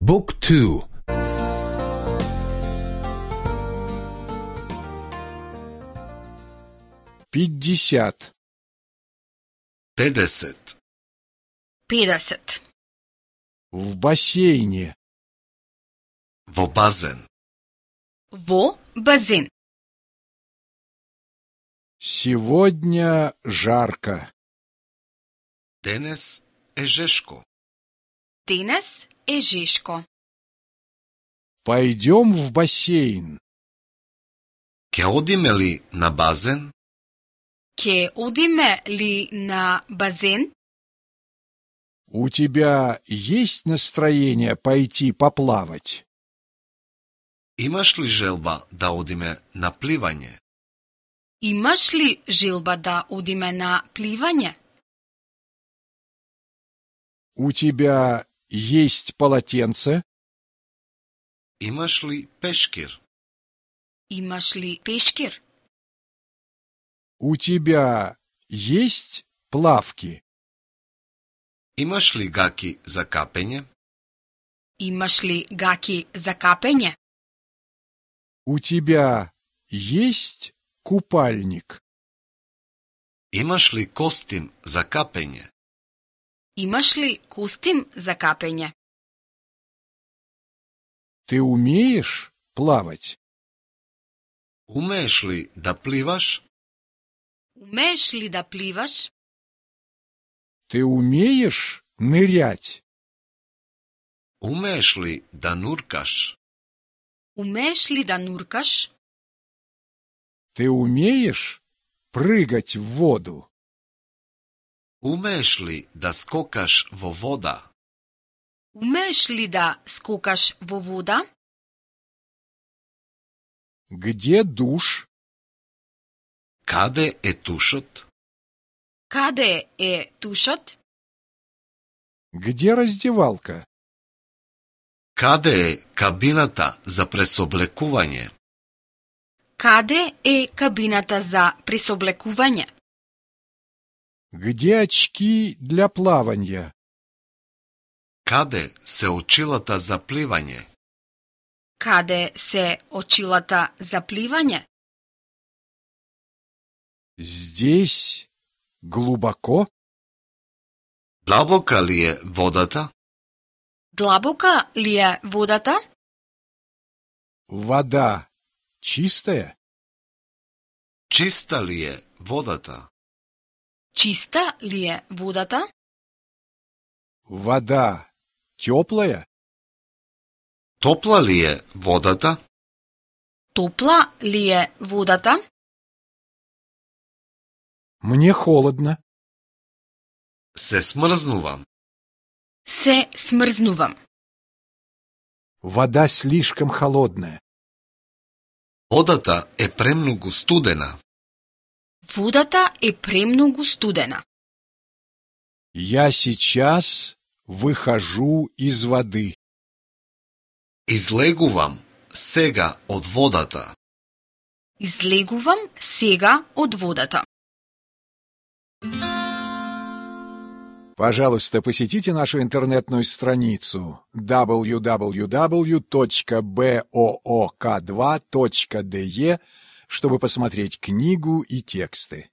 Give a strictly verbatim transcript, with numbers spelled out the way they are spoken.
Book two. Пятьдесят. педесет. педесет. В бассейне. Во базен. Во базен. Сегодня жарко. Денес е жешко. Денес е жешко. Пойдем в бассейн. Ке одиме ли на базен? Ке одиме ли на базен? У тебя есть настроение пойти поплавать? Имаш ли желба да одиме на пливање? Имаш ли желба да одиме на пливање? У тебя есть полотенце? Имаш ли пешкир? Имаш ли пешкир? У тебя есть плавки? Имаш ли гаки за капење? Имаш ли гаки за капење? У тебя есть купальник? Имаш ли костим за капење? Имаш ли костим за капење? Ты умеешь плавать? Умееш ли да пливаш? Умееш ли да пливаш? Ты умеешь нырять? Умееш ли да нуркаш? Умееш ли да нуркаш? Ты умеешь прыгать в воду? Умееш ли да скокаш во вода? Умееш ли да скокаш во вода? Где душ? Каде е тушот? Каде е тушот? Где раздевалка? Каде е кабината за пресоблекување? Каде е кабината за пресоблекување? Где очки для плавания? Каде се очилата за пливање? Каде се очилата за пливање? Здесь глубоко? Длабока ли е водата? Длабока ли е водата? Вода чистая? Чиста ли е водата? Чиста ли е водата? Вода теплая? Топла ли е водата? Топла ли е водата? Мне холодно. Се смрзнувам. Се смрзнувам. Вода слишком холодная. Водата е премногу студена. Водата е премногу студена. Я сейчас выхожу из воды. Излегувам сега од водата. Излегувам сега од водата. Пожалуйста, посетите нашу интернетную страницу дабл ю дабл ю дабл ю точка боок два точка де, чтобы посмотреть книгу и тексты.